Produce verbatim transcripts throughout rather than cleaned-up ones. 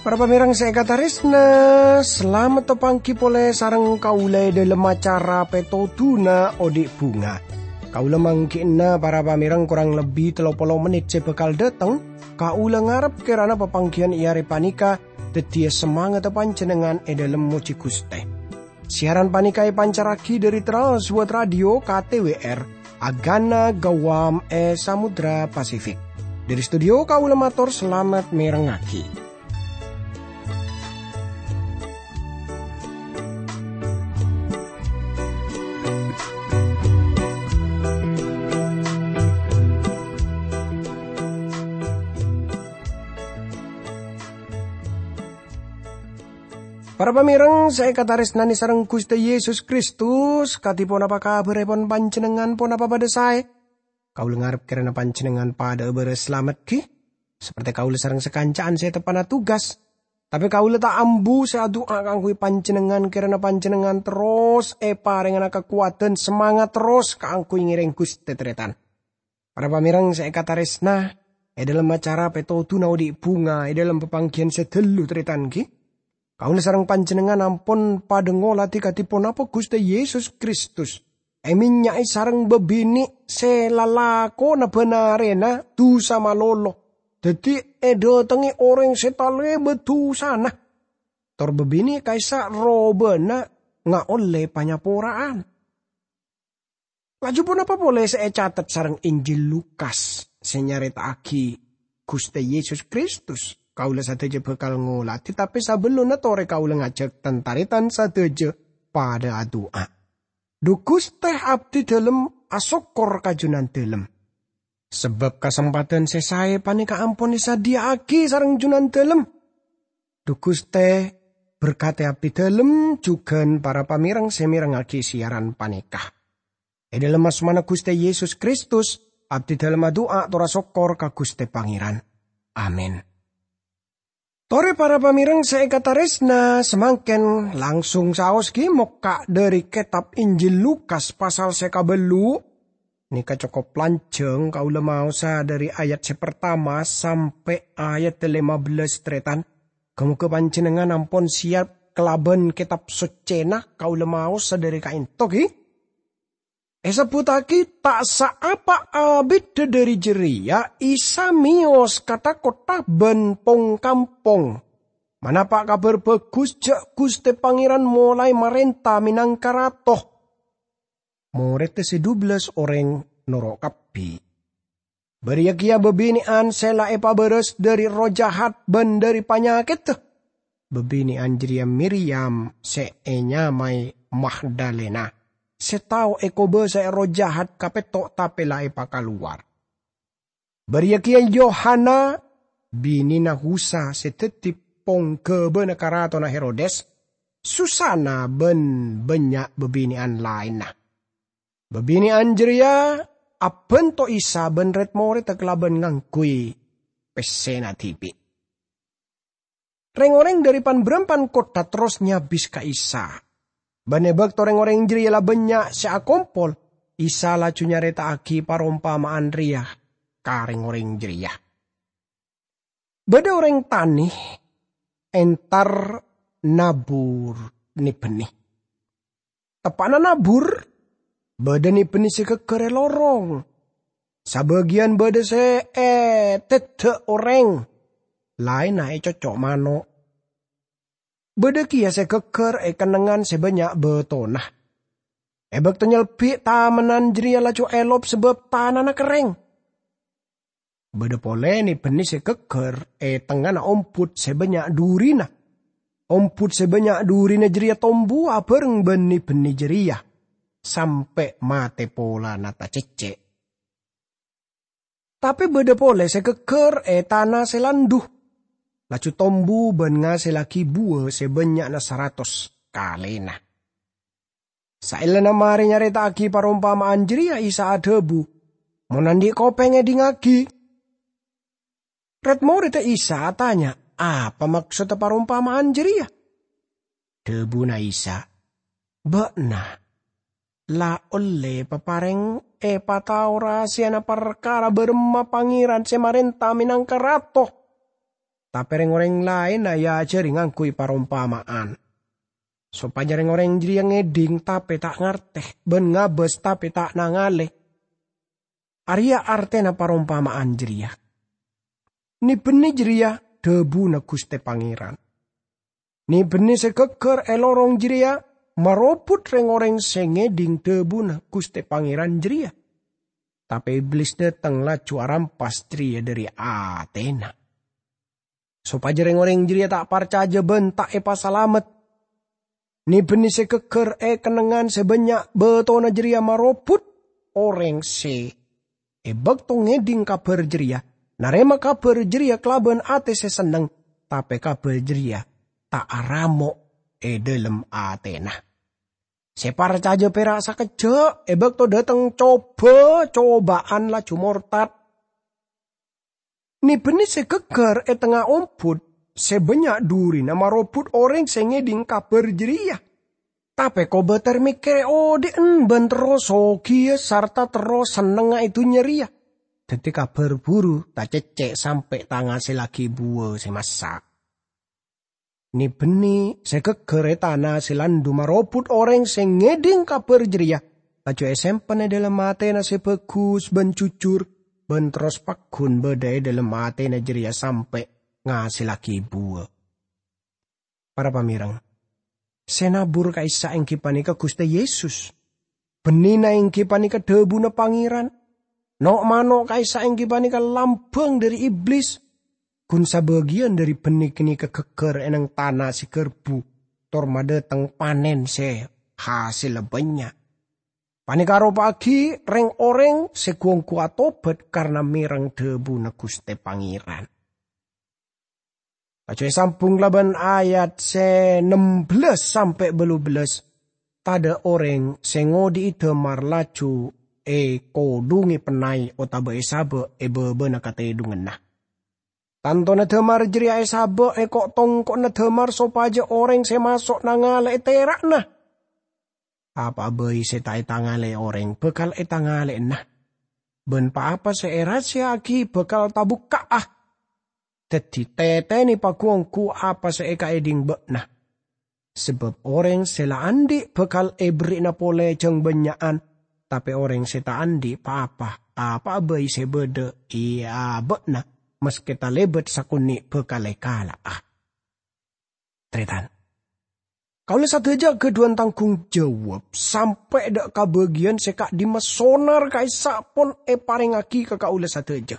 Para pamèrèng sè èkatarèsna, salamet tapangghi polè sareng kaulâ è dhâlem acara Pètodhuna Odi' Bhunga. Kaulâ mangghi'na para pamèrèng korang lebbi tello polo mennit sè bhâkal dhâteng. Kaulâ ngarep kèrana papangghiyân è arè panèka dhâddhiyâ samangatta panjhennengngan è dhâlem mojhi Ghustè. Siaran panèka èpancarraghi dhâri Trans World Radio K T W R, Agana Gawam è Samudra Pasifik. Dhâri studio kaulâ mator salamet mèrengngaghi. Para pamèrèng sè èkatarèsnanè sareng Ghustè Yesus Kristus, kadhi ponapa kabhârèpon panjhennengngan, ponapa padhâ saè? Kaulâ ngarep kèrana panjhennengngan padhâ'â bârâs salamet, ghi? Saperte kaulâ sareng sakanca'an sè teppa'na tugas. Tapè kaulâ ta' ambu sè adu'a kaangghuy panjhennengngan, kèrana panjhennengngan terros èparèngana kakowadhân, samangat terros kaangghuy ngèrèng Ghustè, tarètan. Para pamèrèng sè èkatarèsna, è dhâlem acara Pètodhuna Odi' Bhunga è dhâlem papangghiyân sè dâllu, tarètan, ghi? Kaulâ sareng panjhennengngan ampon padhâ ngolatè kadhi ponapa Ghustè Yesus Kristus èmènnya'è sareng bâbinè' sè lalakonna bân arèna dhusa malolo, dhâddhi èdhâtengngè orèng sè talèbât dhusana, tor bâbinè' ka'issa' robâna ngaollè panyapora'an. Laju ponapa polè sè ècatet sareng Injil Lukas sè nyarèta'aghi Ghustè Yesus Kristus? Kaulâ sadhâjâ bhâkal ngolatè, tapè sabellunna torè kaulâ ngajhâk tan-tarètan sadhâjâ padhâ adu'a. Dhu Ghustè, abdhi dhâlem asokkor ka Jhunandhâlem. Sabâb kasempadhân sè saè panèka ampon èsadhiyâ'aghi sareng Jhunandhâlem. Dhu Ghustè, berkatè abdhi dhâlem jhughân para pamèrèng sè mèrengngaghi siaran panèka. È dhâlem asmana Ghustè Yesus Kristus, abdhi dhâlem adu'a tor asokkor ka Ghustè Pangèran. Amin. Torè para pamèrèng sè èkatarèsna, samangkèn langsung saos ghi mokka' dhâri kètab Injil Lukas pasal sè kabâllu'. Nèka cokop lanjhâng, kaulâ maosa dhâri ayat sè partama sampè' ayat lèma bellâs, tarètan. Ghâ-moghâ panjhennengngan ampon siyap kalabân Kètab Soccèna kaulâ maosa dhâri ka'ènto, ghi. Èsebbhuttaghi ta' saapa abiddhâ dhâri jârèya, Isa mèyos ka tha-kottha bân pong-kampong, manapa' Kabhâr Bhâghus jhâ' Ghustè Pangèran molaè marènta mènangka Rato. Morèdda sè dubellâs orèng noro' kabbhi. Bâriyâ kèya bâbinè'an sè la èpabârâs dhâri erroh jahat bân dhâri panyakèdda. Bâbinè'an jârèya Miryam sè ènyamaè Magdalena, sè tao èkobâsaè erroh jahat kapètto' tapè la èpakalowar. Bâriyâ kèya Yohana, binèna Khusa sè dhâddhi pongghâbâna karatonna Herodes, Susana bân bânnya' bâbinè'an laènna. Bâbinè'an jârèya abhânto Isa bân rèd-morèdda kalabân ngangghuy pèssèna dhibi'. Rèng-orèng dhâri pan-bârâmpan kottha terros nyabis ka Isa. Bân è bâkto rèng-orèng jârèya la bânnya' sè akompol, Isa laju nyarèta'aghi parompama'an rèya ka rèng-orèng jârèya. Bâdâ orèng tanè entar nabur ne-benne. Teppa'na nabur, bâdâ ne-benne sè ghâgghâr è lorong. Sabâgiyân bâdâ sè èteddhâ' orèng, laènna ècocco' mano'. Bâdâ kèya sè ghâgghâr è kennengngan sè bânnya' bâtona. È bâkto nyelbi' tamennan jârèya laju èlop sabâb tanana kerrèng. Bâdâ polè ne-benne sè ghâgghâr è tengngana ombut sè bânnya' dhurina. Ombut sè bânnya' dhurina jârèya tombu abhâreng bân ne-benne jârèya, sampè' mate polana tacecce'. Tapè bâdâ polè sè ghâgghâr è tana sè landhu, laju tombu bân ngasellaghi buwâ sè bânnya'na saratos kalèna. Saellana marè nyarèta'aghi parompama'an jârèya, Isa adhâbu, "Mon andi' kopèng, èdingngaghi!" Rèd-morèdda Isa atanya, "Apa maksodda parompama'an jârèya?" Dhabuna Isa, "Ba'na la olle papareng epatao rahasiyana parkara bârâmma Pangèran sè marènta mènangka Rato. Tapè rèng-orèng laènna èajhâri ngangghuy parompama'an, sopajâ rèng-orèng jârèya ngèdhing tapè ta' ngartè, bân ngabâs tapè ta' nangalè. Arèya artèna parompama'an jârèya. Nè-bhennè jârèya dhâbuna Ghustè Pangèran. Nè-bhennè sè ghâgghâr è lorong jârèya marobut rèng-orèng sè ngèdhing dhâbuna Ghustè Pangèran jârèya." Tapè Iblis dâteng laju arampas jârèya dâri atèna, sopajâ rèng-orèng jârèya ta' parcajâ bân ta' èpasalamet. Nè-bhennè sè ghâgghâr è kennengngan sè bânnya' bâtona jârèya marobut orèng sè è bâkto ngèdhing kabhâr jârèya, narèma kabhâr jârèya kalabân atè sè senneng, tapè kabhâr jârèya ta' aramo' è dhâlem atèna. Sè parcajâ pèra' sakejjhâ', è bâkto dâteng coba-cobâ'ân laju mortad. Nè-bhennè sè ghâgghâr è tengnga ombut sè bânnya' dhurina marobut orèng sè ngèdhing kabhâr jârèya. Tapè kobâtèr mèkkèrè odhi'en bân terro sogiyâ sarta terro sennengnga è dhunnya rèya. Dhâddhi kabhâr buru tacèccè' sampè' ta' ngasèllaghi buwâ sè massa'. Nè-bhennè sè ghâgghâr è tana sè landhu marobut orèng sè ngèdhing kabhâr jârèya, laju èsempen è dhâlem atèna sè bhâghus bân jujur, bân terros pagghun bâdâ è dhâlem atèna jârèya sampè' ngasèllaghi buwâ. Para pamèreng, sè nabur ka'issa' èngghi panèka Ghustè Yesus. Bhennèna èngghi panèka dhâbuna Pangèran. No'-mano' ka'issa' èngghi panèka lambhâng dhâri Iblis. Ghun sabâgiyân dhâri bhennè ghânèka ghâgghâr è neng tana sè ghârbu, tor madâteng panèn sè hasèlla bânnya'. Panèka aropa'aghi rèng-orèng sè ghu-ongghu atobhât karna mèreng dhâbuna Ghustè Pangèran. Laju èsambhung kalabân ayat sè nem bellâs sampè' bâllu bellâs. Tadâ' orèng sè ngodhi'i dâmar laju èkodhungè pennay otabâ èsabâ' è bâbâna katèdhunganna. Tantona dâmar jârèya èsabâ' è ko'-tongko'na dâmar sopajâ orèng sè maso' nangalè'è tèra'na. Apa'a bhâi sè ta' ètangalè orèng bhâkal ètangalè'ana, bân pa-apa sè èrahasèya'aghi bhâkal tabukka'a. Dhâddhi, tètènè paghu-ongghu apa sè èkaèdhing bâ'na. Sabâb orèng sè la andi' bhâkal èberri'na polè jâng bânnya'an, tapè orèng sè ta' andi' pa-apa, apa'a bhâi sè bâdâ è abâ'na, maskè talèbât sakonè' bhâkal èkala'a. Tarètan. Kaulâ sadhâjâ aghâdhuwân tangghung jawab sampè' dâ' ka bâgiyân sè ka'dimma sonar ka'issa' pon èparèngaghi ka kaulâ sadhâjâ.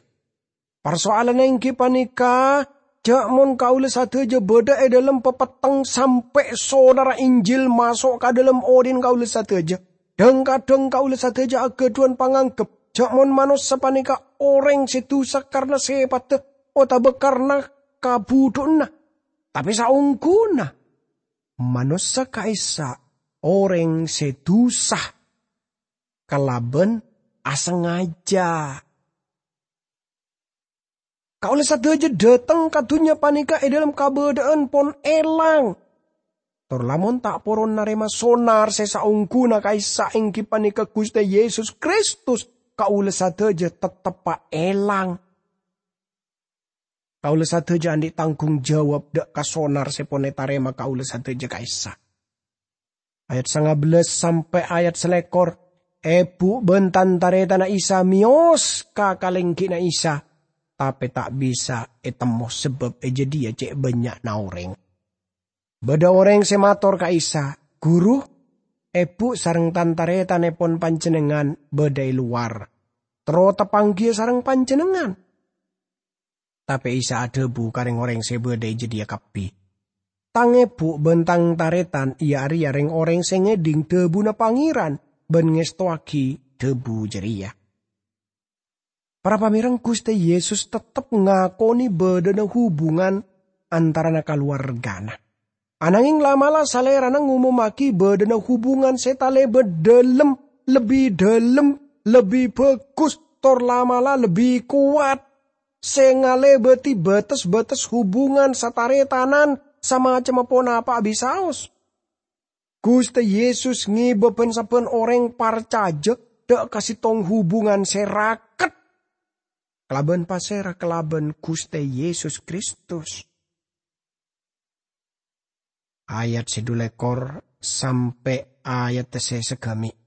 Parsoalanna èngghi panèka, jâ' mon kaulâ sadhâjâ bâdâ è dhâlem papetteng sampè' sonarra Injil maso' ka dhâlem odhi'na kaulâ sadhâjâ. Dhâng-kadhâng kaulâ sadhâjâ aghâdhuwân pangangghep jâ' mon manossa panèka orèng sè dusa karna sèpaddhâ otabâ karna kabhudhu'ânna. Tapè saongghuna, manossa ka'issa' orèng sè dusa kalabân asangajâ. Kaulâ sadhâjâ dâteng ka dhunnya panèka è dhâlem kabâdâ'ân pon èlang. Tor lamon ta' poron narèma sonar sè saongghuna ka'issa' èngghi panèka Ghustè Yesus Kristus, kaulâ sadhâjâ tetteppa èlang. Kaulâ sadhâjâ andi' tangghung jawab dâ' ka sonar sè pon ètarèma kaulâ sadhâjâ ka'issa'. Ayat sanga bellâs sampè' ayat salèkor, èbhu bân tan-tarètanna Isa mèyos ka kalèngghina Isa, tapè ta' bisa ètemmo sabâb è jâdiyâ cè' bânnya'na orèng. Bâdâ orèng sè mator ka Isa, "Ghuru, èbhu sareng tan-tarètannèpon Panjhennengngan bâdâ è lowar, terro tapangghiyâ sareng Panjhennengngan." Tapè Isa adhâbu ka rèng-orèng sè bâdâ è jâdiyâ kabbhi, "Tang èbhu bân tang tarètan iyâ arèya rèng-orèng sè ngèdhing dhâbuna Pangèran bân ngèstowaghi dhâbu jârèya." Para pamèreng, Ghustè Yesus tettep ngakonè bâdâna hubungan antarana kalowargana. Anangèng la'-mala' Salèrana ngomommaghi bâdâna hubungan sè talèbât dhâlem, lebbi dhâlem, lebbi bhâghus, tor la'-mala' lebbi kowat, sè ngalèbâdhi bâtes-bâtes hubungan satarètanan samacemma ponapa'a bisaos. Ghustè Yesus ngèbâ bân sabbhân orèng parcajâ dâ' ka sèttong hubungan sè raket kalabân pasèra kalabân Ghustè Yesus Kristus. Ayat sè dhu lèkor sampè' ayat sè sagâmè'.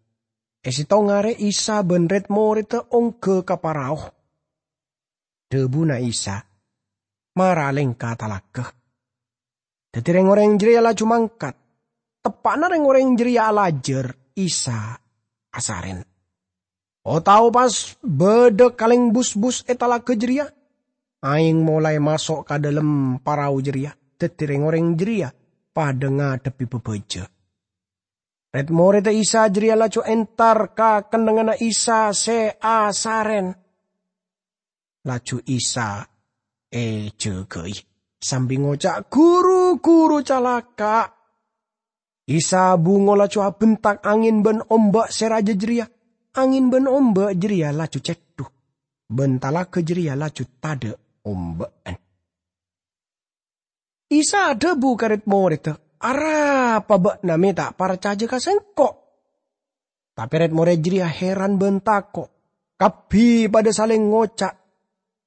È sèttong arè Isa bân rèd-morèdda ongghâ ka parao. Dhâbuna Isa, "Mara alèngka talaga." Dhâddhi rèng-orèng jârèya laju mangkat. Teppa'na rèng-orèng jârèya alajâr, Isa asarèn. O tao pas bâdâ kalèng busbus è talaga jârèya, aèng molaè maso' ka dâlem parao jârèya, dhâddhi rèng-orèng jârèya padâ ngadhebbhi bâbâjâ. Rèd-morèdda Isa jârèya laju entar ka kennengnganna Isa sè asarèn. Laju Isa èjâgâi sambi ngoca', "Ghuru, ghuru, calaka'!" Isa bungo laju abentak angèn bân omba' sè rajâ jârèya. Angèn bân omba' jârèya laju cèdhu, bân talaga jârèya laju tadâ' omba'an. Isa adhâbu ka rèd-morèdda, "Arapa bâ'na mè' ta' parcajâ ka Sèngko'?" Tapè rèd-morèd jârèya hèran bân tako'. Kabbhi padâ salèng ngoca',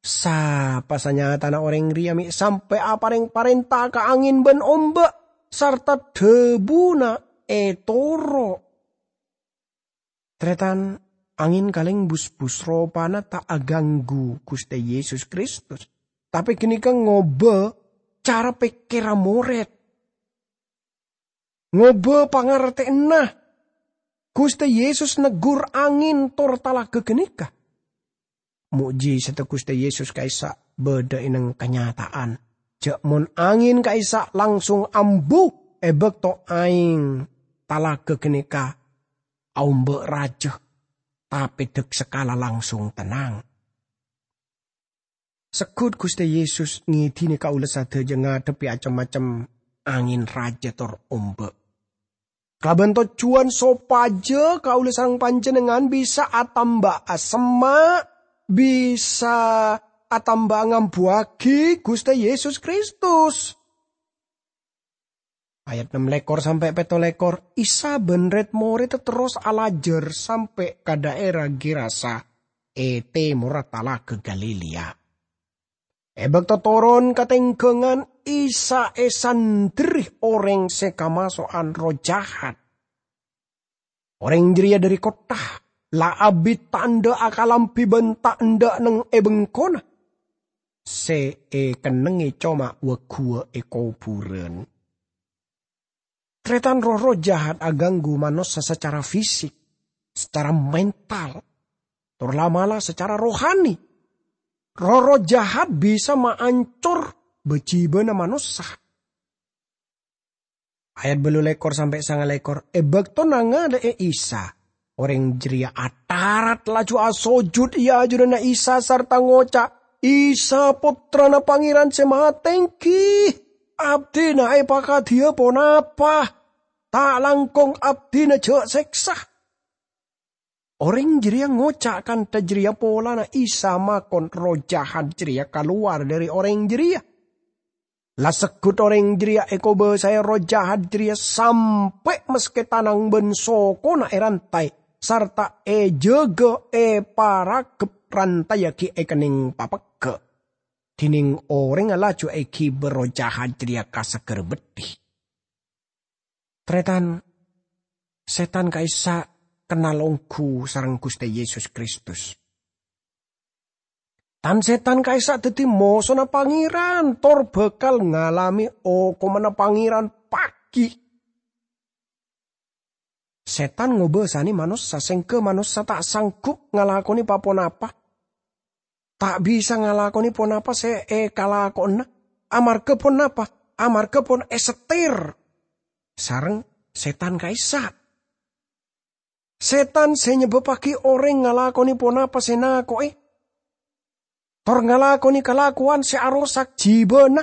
"Sapa sanyatana orèng rèya mè' sampè' aparèng parènta ka angèn bân omba', sarta dhâbuna ètoro'?" Tarètan, angèn kalèng busbus ropana ta' aganggu Ghustè Yesus Kristus, tapè ghânèka ngobâ cara pèkkèrra morèd. Ngobâ pangartèyanna. Ghustè Yesus neggur angèn tor talaga ghânèka. Mo'jisaddhâ Ghustè Yesus ka'issa' bâdâ è nèng kanyata'an, jâ' mon angèn ka'issa' langsung ambu è bâkto aèng talaga ghânèka aomba' rajâ, tapè dâk sakala langsung tennang. Segghut Ghustè Yesus ngèdinè kaulâ sadhâjâ ngadhebbhi acem-macem angèn rajâ tor omba'. Kalabân tojjhuwân sopajâ kaulâ sareng panjhennengngan bisa atamba'a semma', bisa atamba'a ngambuwâghi Ghustè Yesus Kristus. Ayat nem lèkor sampè' pètto lèkor, Isa bân rèd-morèdda terros alajâr sampè' ka dhaèra Gerasa è tèmorra Talaga Galilea. È bâkto toron ka tèngghângan, Isa èsanderri orèng sè kamaso'an erroh jahat. Orèng jârèya dhâri kottha, la abit ta' endâ' akalambhi bân ta' endâ' neng è bengkona. Sè èkennengngè coma wâ-ghuwâ è kobhurân. Tarètan, roh-erroh jahat aganggu manossa sacara fisik, sacara mental, tor la'-mala' sacara rohani. Roh-erroh jahat bisa maancor bâ-jibâna manossa. Ayat bâllu lèkor sampè' sanga lèkor, è bâkto nangalè'è Isa, orèng jârèya atarat laju asojud è ajunanna Isa sarta ngoca', "Isa, Pottrana Pangèran sè matèngghi, abdhina èpakadhiyâ ponapa? Ta' langkong abdhina jhâ' sèksa." Orèng jârèya ngoca' kantha jârèya polana Isa makon erroh jahat jârèya kalowar dhâri orèng jârèya. La segghut orèng jârèya èkobâsaè erroh jahat jârèya sampè' maskè tanang bân sokona èrantaè, sarta èjâgâ è paraghep rantayaghi èkennèng papegghâ'. Dhinèng orèngnga laju èghibâ erroh jahat jârèya ka Sagârâ Beddhi. Tarètan, sètan ka'issa' kennal ongghu sareng Ghustè Yesus Kristus. Tan-sètan ka'issa' dhâddhi mosona Pangèran, tor bhâkal ngalamè okomanna Pangèran paghi'. Sètan ngobâsanè manossa, sèngghâ manossa ta' sanggup ngalakonè pa-ponapa. Ta' bisa ngalakonè ponapa sè èkalakowanna. Amarghâ ponapa? Amarghâ pon èsettèr sareng sètan ka'issa'. Sètan sè nyebbabbhâghi orèng ngalakonè ponapa sè nako'è, tor ngalakonè kalakowan sè arosak jibâna.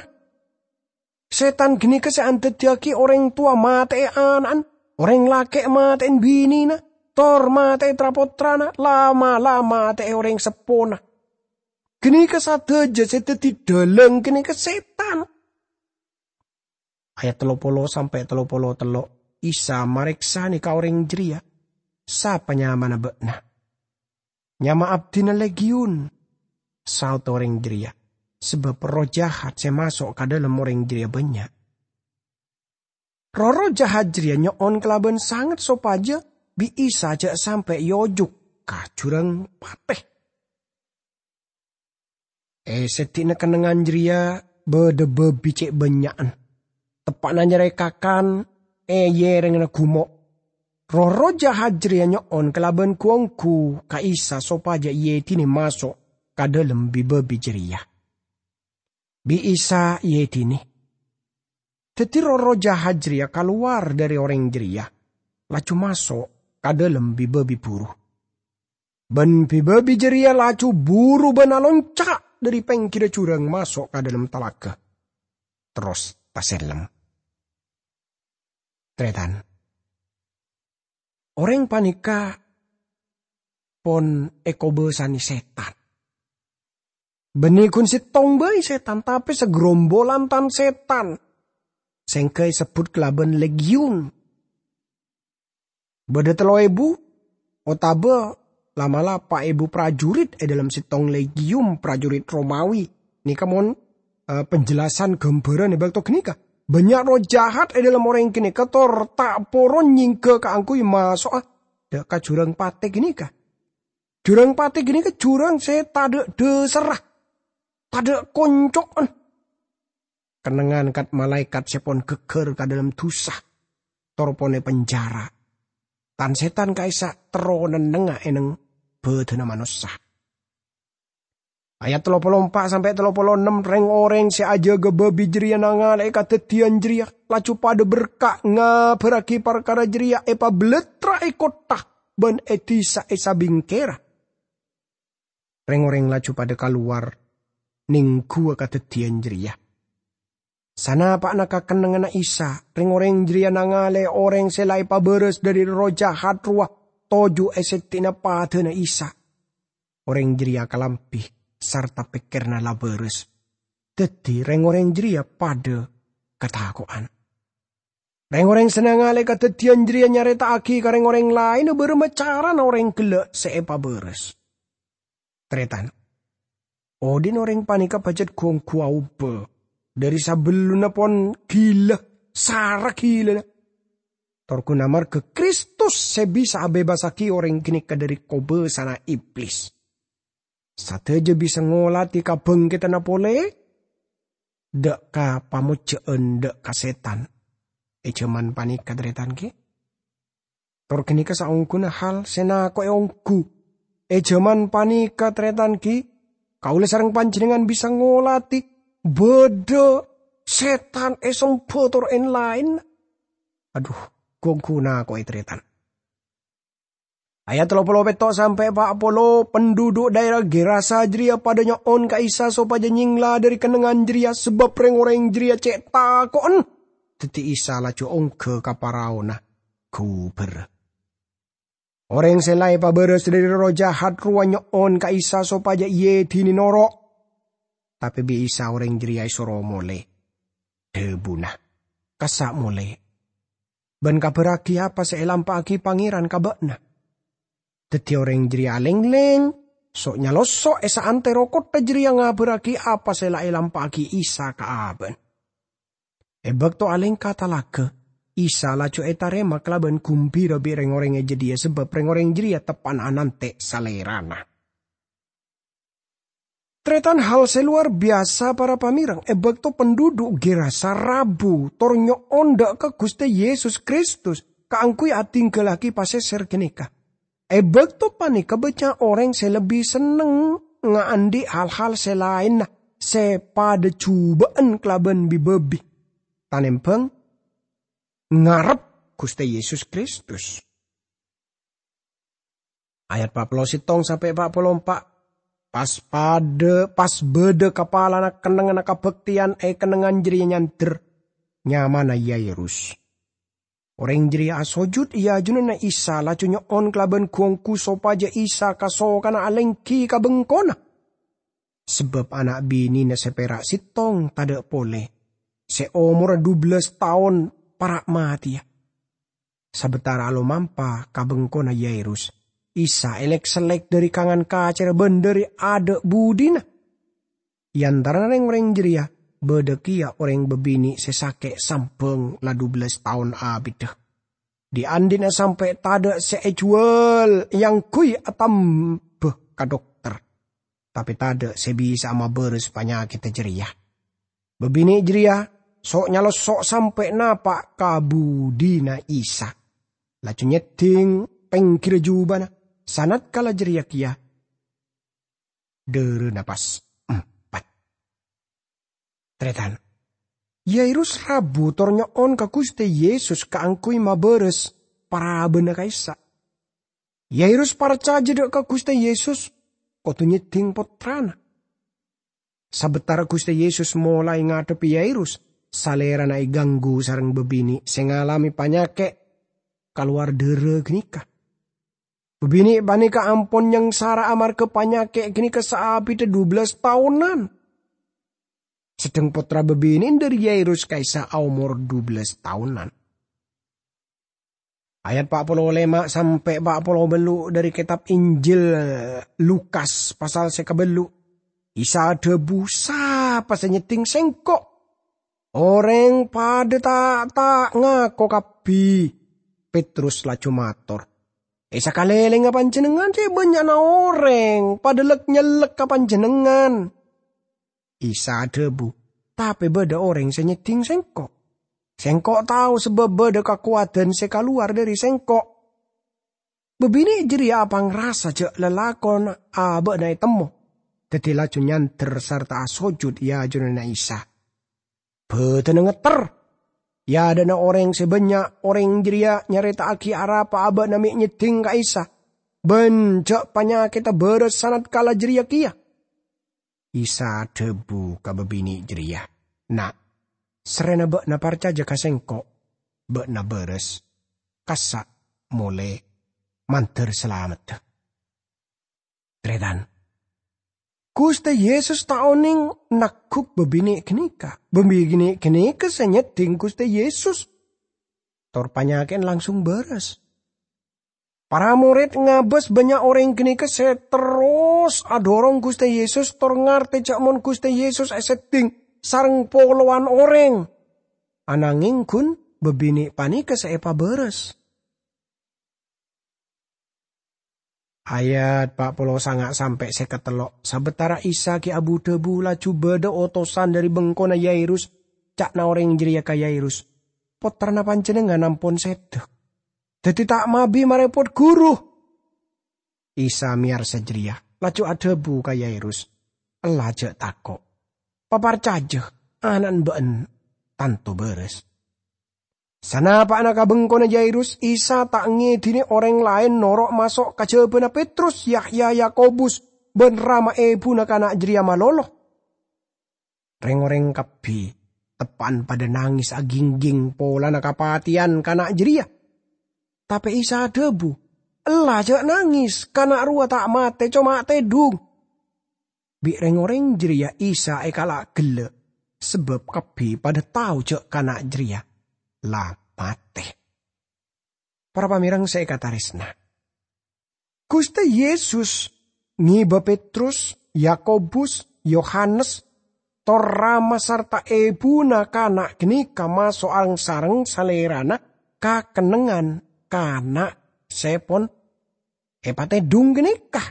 Sètan ghânèka sè andhâddhiyâghi orèng towa matè'è ana'na, orèng lakè' matè'è binèna, tor matè'è tra-pottrana, la'-mala' matè'è orèng seppona. Ghânèka sadhâjâ sè dhâddhi dhâlâng ghânèka sètan. Ayat tello polo sampè' tello polo tello'. Isa marèksanè ka orèng jârèya, "Sapa nyamana bâ'na?" "Nyama abdhina Legiyun," saodda orèng jârèya, "sabâb erroh jahat sè maso' ka dâlem orèng jârèya bânnya'." Roh-erroh jahat jârèya nyo'on kalabân sanget sopajâ bi' Isa jhâ' sampè' èojuk ka jhurâng patè. È sèddhina kennengngan jârèya bâdâ bâbi cè' bânnya'an. Teppa'na nyarè kakan è yèrèngnga gumo'. Roh-erroh jahat jârèya nyo'on kalabân gu-onggu ka Isa sopajâ èèdinè maso' ka dâlem bi-bâbi jârèya. Bi' Isa èèdinè. Dhâddhi roh-erroh jahat jârèya kalowar dâri orèng jârèya, laju maso' ka dâlem bi-bâbi buru. Bân bi-bâbi jârèya laju buru bân alonca' dâri pèngghirra jhurâng maso' ka dâlem talaga, terros tasellem. Tarètan, orèng panèka pon èkobâsanè sètan. Bânnè ghun sèttong bhâi sètan, tapè sagrombolan tan-sètan, sèngghâ èsebbhut kalabân legiyun. Bâdâ tello èbu otabâ la'-mala' pa' èbu prajurit è dâlem sèttong legiyun prajurit Romawi. Nèka mon, eh, penjelasan gambaran è bâkto ghânèka. Bânnya' roh jahat è dâlem orèng ghânèka tor ta' poron nyèngghâ kaangghuy maso'a dâ' ka jhurâng patè ghânèka. Jhurâng patè ghânèka jhurâng sè tadâ' dhâsarra, tadâ' konco'na. Kennengngan kat-malaèkat sè pon ghâgghâr ka dâlem dhusa, tor pon è penjara. Tan-sètan ka'issa' terro nennengnga è neng bâdâna manossa. Ayat tello polo empa' sampè' tello polo ennem, rèng-orèng sè ajâgâ bâbi jârèya nangalè'è kadhâddhiyân jârèya, laju padâ berka' ngabhârraghi parkara jârèya èpabellettra è kottha bân è dhisa è sabingkèra. Rèng-orèng laju padâ kalowar nèngghuwâ kadhâddhiyân jârèya. Sanapa'na ka kennengnganna Isa, rèng-orèng jârèya nangalè'è orèng sè la èpabârâs dâri erroh jahat rowa toju' è sèddhina padâna Isa. Orèng jârèya kalambhi, sarta pèkkèranna la bârâs. Dhâddhi, rèng-orèng jârèya padâ katako'an. Rèng-orèng sè nangalè'è kadhâddhiyân jârèya nyarèta'aghi ka rèng-orèng laènna bârâmma carana orèng ghellâ' sè èpabârâs. Tarètan, odi'na orèng panèka pajhât gu-onggu aobâ, dâri sabellunna pon ghilâ, sara ghilâna. Tor ghun amarghâ Kristus sè bisa abèbassaghi orèng ghânèka dâri kobâsana Iblis. Sadhâjâ bisa ngolatè kabhângkèdhânna polè, dâ' ka pamojjhâ'ân dâ' ka sètan. È jhâman panèka, tarètan, ghi? Tor ghânèka saongghuna hal sè nako'è ongghu. È jhâman panèka, tarètan, ghi, kaulâ sareng panjhennengngan bisa ngolatè bâdâ sètan èsemba tor èn-laèn. Adhu, gu-onggu nako'è, tarètan. Ayat tello polo pètto' sampè' pa' polo, penduduk dhaèra Gerasa jârèya padâ nyo'on ka Isa sopajâ nyèngla dâri kennengngan jârèya, sabâb rèng-orèng jârèya cè' tako'en. Dhâddhi Isa laju ongghâ ka paraona ghubâr. Orèng sè la èpabârâs dâri erroh jahat rowa nyo'on ka Isa sopajâ èèdinè noro'. Tapè bi' Isa orèng jârèya èsoro molè. Dhâbuna, "Kassa' molè, bân kabhârraghi apa sè èlampa'aghi Pangèran ka bâ'na." Dhâddhi orèng jârèya alèng-lèng, so'-nyalosso' è saantèro kottha jârèya ngabhârraghi apa sè la èlampa'aghi Isa ka abâ'na. È bâkto alèngka talaga, Isa laju ètarèma kalabân gumbira bi' rèng-orèng è jâdiyâ sabâb rèng-orèng jârèya teppa'na anantè' Salèrana. Tarètan, hal sè lowar biyasa, para pamèreng, è bâkto penduduk Gerasa rabu tor nyo'on dâ' ka Ghustè Yesus Kristus kaangghuy adhingghâllaghi pasèsèr ghânèka. È bâkto panèka bânnya' orèng sè lebbi senneng ngaandhi' hal-hal sè laènna sè padâ jhubâ'ân kalabân bi-bâbi, tanèmbhâng ngarep Ghustè Yesus Kristus. Ayat pa' polo sèttong sampè' pa' polo empa'. Pas padâ, pas bâdâ kapalana kennengnganna kabhâktèyan è kennengngan jârèya nyandher, nyamana Yairus. Orèng jârèya asojud è ajunanna Isa, laju nyo'on kalabân gu-onggu sopajâ Isa kasokanna alèngghi ka bengkona. Sabâb ana' binèna sè pèra' sèttong tadâ' polè, sè omorra dubellâs taon, para' matèya. Sabetara alomampa ka bengkona Yairus, Isa elek-sellek dhari kangan kacerra ban dhari adha' budina. È antarana reng-oreng jareya badha keya oreng babine' se sake' sambang la dubellas taon abidda. Dhi'-andhi'na sampe' tadha' se ejuwal eangguy atamba ka dokter, tape tadha' se bisa'a mabaras panyakkedda jareya. Babine' jareya so'-nyalosso' sampe' napa' ka budina Isa, laju nyedding penggira jubana, sanatkala jareya keya dharana pas empat. Taretan, Yairus rabu tor nyo'on ka Guste Yesus kaangguy mabaras parabana ka'issa'. Yairus parcaja dha' ka Guste Yesus kodu nyedding pottrana. Sabetara Guste Yesus molae ngadhebbi Yairus, salerana eganggu sareng babine' se ngalame panyake' kalowar dhara ganeka. Babine' paneka ampon nyangsara amarga panyake' ganeka saabidda dubellas taonan. Sedheng pottra babine'en dhari Yairus ka'issa' aomor dubellas taonan. Ayat pa' polo lema sampe' pa' polo bellu' dhari Ketab Injil Lukas pasal se kabellu'. Isa adhabu, "Sapa se nyedding Sengko'?" Oreng padha ta'-ta' ngako kabbi. Petrus laju mator, "E sakalelengnga Panjennengngan ce' bannya'na oreng padha lek-nyellek ka Panjennengngan." Isa adhabu, "Tape badha oreng se nyedding Sengko'. Sengko' tao sabab badha kakowadan se kalowar dhari Sengko'." Babine' jareya apangrasa ja' lalakonna aba'na etemmo, daddi laju nyander sarta asojud e ajunanna Isa. Badanna ngetter. E adha'na oreng se bannya', oreng jareya nyareta'agi arapa aba'na me' nyedding ka Isa, ban ja' panyakedda baras sanatkala jareya keya. Isa adhabu ka babine' jareya, "Na', sarrena ba'na parcaja ka Sengko', ba'na baras. Kassa' mole, mandar salamedda." Taretan, Guste Yesus ta' oneng nagguk babine' ganeka. Babine' ganeka se nyedding Guste Yesus, tor panyake'en langsung baras. Para mored ngabas bannya' oreng ganeka se terros adorong Guste Yesus tor ngarte ja' mon Guste Yesus esedding sareng polowan oreng. Anangeng gun babine' paneka se epabaras. Ayat pa' polo sanga' sampe' seket tello'. Sabatara Isa gi' abu-dhabu, laju badha otosan dhari bengkona Yairus. Ca'na oreng jareya ka Yairus, "Pottrana panjennengngan ampon seda. Daddi ta' mabi marepot Guru." Isa meyarsa jareya, laju adhabu ka Yairus, "Ella ja' tako'. Paparcaja, ana'na ba'en tanto baras." Sanapa'na ka bengkona Yairus, Isa ta' ngedine oreng laen noro' maso' kajabana Petrus, Yahya, Yakobus, ban rama ebuna kana' jareya malolo. Reng-oreng kabbi teppa'an padha nanges agingging polana kapateyan kana' jareya. Tape Isa adhabu, "Ella ja' nanges, kana' rowa ta' mate, coma tedhung." Bi' reng-oreng jareya Isa ekala' gella', sabab kabbi padha tao ja' kana' jareya la mate. Para pamereng se ekataresna, Guste Yesus ngeba Petrus, Yakobus, Yohanes, tor rama sarta ebuna kana' ganeka maso' reng-sareng Salerana ka kennengngan kana' se pon epatedhung ganeka.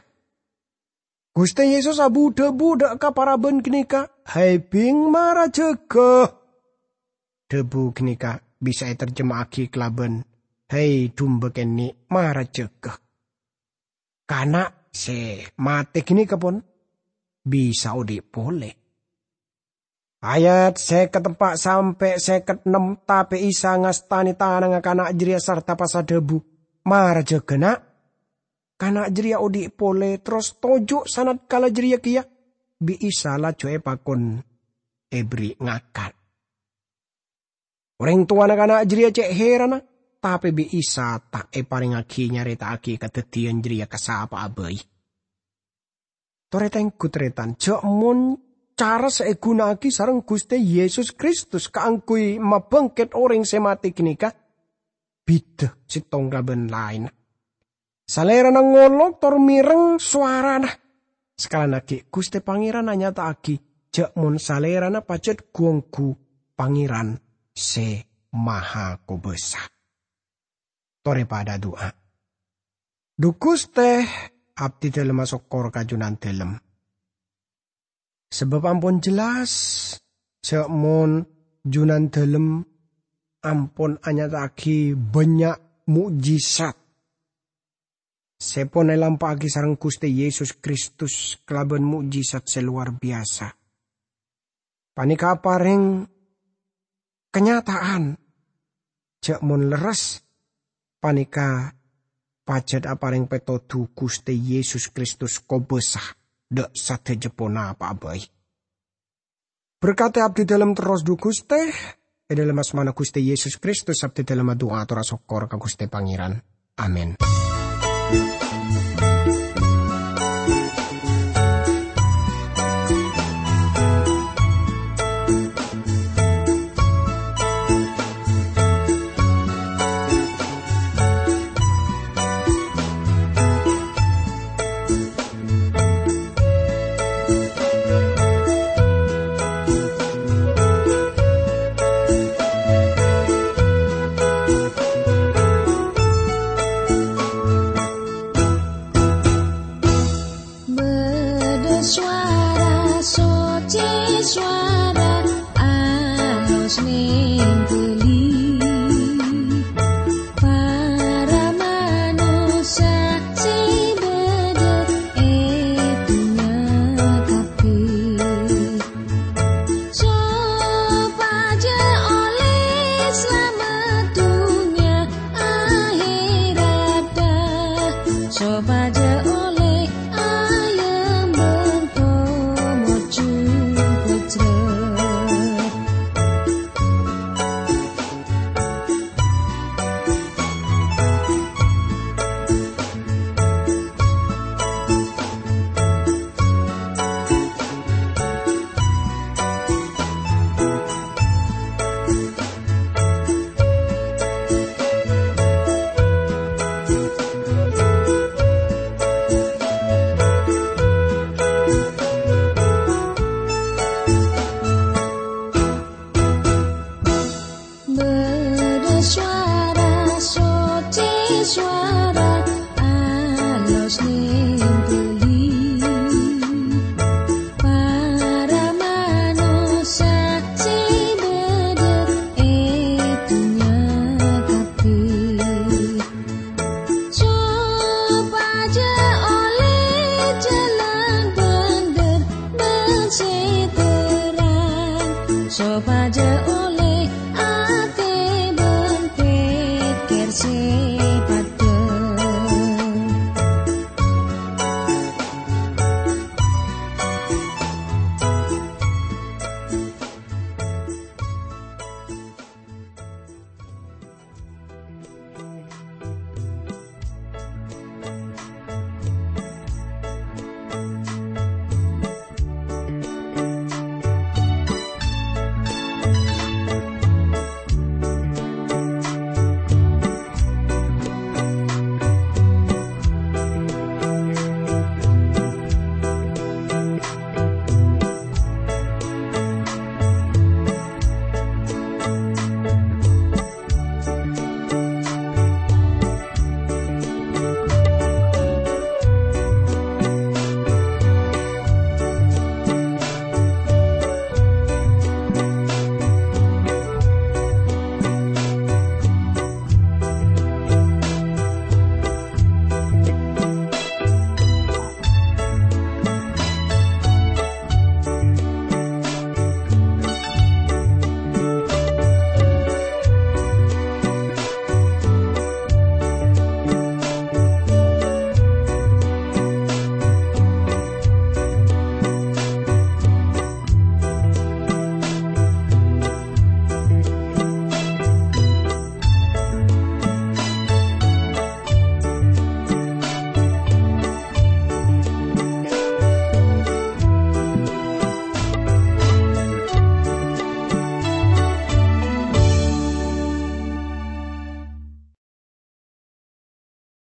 Guste Yesus abu-dhabu dha' ka paraban ganeka, "Hai, bing, mara jaga!" Dhabu ganeka bisa eterjema'agi kalaban, "Hai, dumba kenne', mara jaga!" Kana' se mate ganeka pon bisa odhi' pole. Ayat seket empa' sampe' seket ennem, tape Isa ngastane tanangnga kana' jareya sarta pas adhabu, "Mara jaga, Na'!" Kana' jareya odhi' pole, terros toju' sanatkala jareya keya, bi' Isa laju epakon eberri' ngakan. Oreng towana kana' jareya ce' herana, tape bi' Isa ta' eparengngagi nyareta'agi kadaddiyan jareya ka sapa'a bai. Tor etenggu, taretan, ja' mon cara se eguna'agi sareng Guste Yesus Kristus kaangguy mabangket oreng se mate ganeka, bhidhâ sèttong kalabân laènna. Salèrana ngolok tor mèreng sowarana. Sakalana ghi' Ghustè Pangèran anyata'aghi jhâ' mon Salèrana pajhât ghu-ongghu Pangèran Sè Mahakobâsa. Torè padâ adu'a. Dhu Ghustè, abdhi dhâlem asokkor ka Jhunandhâlem. Sabâb ampon jelas jhâ' mon Jhunandhâlem ampon anyata'aghi bânnya' mo'jizat sè pon èlampa'aghi sareng Ghustè Yesus Kristus kalabân mo'jizat sè lowar biyasa. Panèka aparèng kanyata'an jhâ' mon lerres panèka pajhât aparèng pètodhu Ghustè Yesus Kristus kobâsa dâ' sadhâjâ ponapa'a bhâi. Berkati abdhi dhâlem terros, dhu Ghustè, è dhâlem asmana Ghustè Yesus Kristus abdhi dhâlem adu'a ator asokkor ka Ghustè Pangèran. Amin. Bâdâ sowara soccè, sowara alos nèng ghâllu. Para manossa sè bâdâ è dhunnya kabbhi, sopajâ ollè salamet dhunnya ahèratta, sopajâ ollè ayembhâng pomoju pojhâ. Bâdâ sowara soccè, sowara